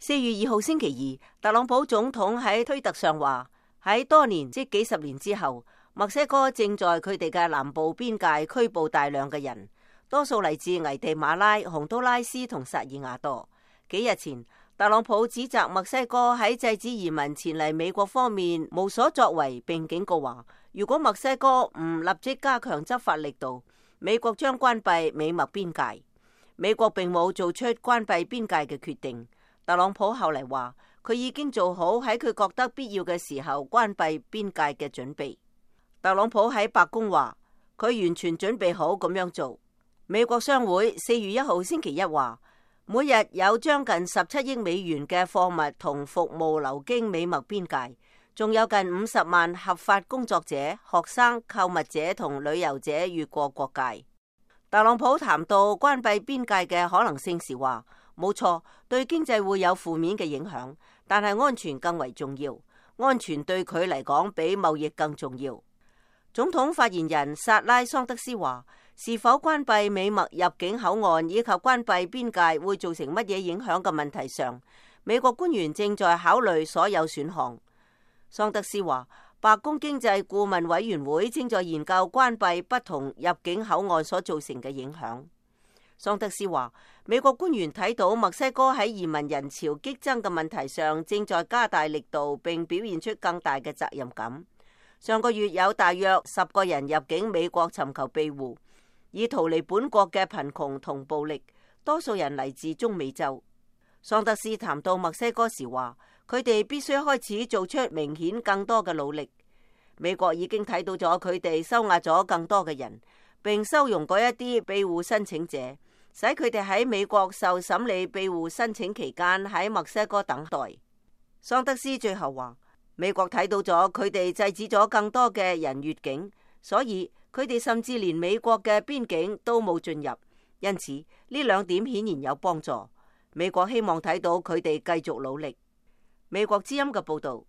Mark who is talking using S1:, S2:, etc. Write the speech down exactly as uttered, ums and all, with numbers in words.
S1: 四月二號星期二，特朗普總統喺推特上話，喺多年即幾十年之後，墨西哥正在佢哋嘅南部邊界拘捕大量嘅人，多數嚟自危地馬拉、洪都拉斯同薩爾瓦多。幾日前，特朗普指責墨西哥喺制止移民前嚟美國方面無所作為，並警告話，如果墨西哥唔立即加強執法力度，美國將關閉美墨邊界。美國並冇做出關閉邊界嘅決定。特朗普後嚟話，佢已經做好喺佢覺得必要嘅時候關閉邊界嘅準備。特朗普喺白宮話，佢完全準備好咁樣做。美國商會四月一號星期一話，每日有將近十七億美元嘅貨物同服務流經美墨邊界，仲有近五十萬合法工作者、學生、購物者同旅遊者越過國界。特朗普談到關閉邊界嘅可能性時話，冇錯，對經濟會有負面嘅影響，但係安全更為重要。安全對佢嚟講比貿易更重要。總統發言人薩拉桑德斯話，是否關閉美墨入境口岸以及關閉邊界會造成乜嘢影響嘅問題上，美國官員正在考慮所有選項。桑德斯話，白宮經濟顧問委員會正在研究關閉不同入境口岸所造成嘅影響。桑德斯話，美國官員睇到墨西哥喺移民人潮激增嘅問題上正在加大力度，並表現出更大嘅責任感。上個月有大約十個人入境美國尋求庇護，以逃離本國嘅貧窮同暴力，多數人嚟自中美洲。桑德斯談到墨西哥時話，佢哋必須開始做出明顯更多嘅努力。美國已經睇到咗佢哋收押咗更多嘅人，並收容嗰一啲庇護申請者，使佢哋喺美國受審理庇護申請期間喺墨西哥等待。桑德斯最後話，美國睇到咗佢哋制止咗更多嘅人越境，所以佢哋甚至連美國嘅邊境都冇進入。因此呢兩點顯然有幫助。美國希望睇到佢哋繼續努力。美國之音嘅報道。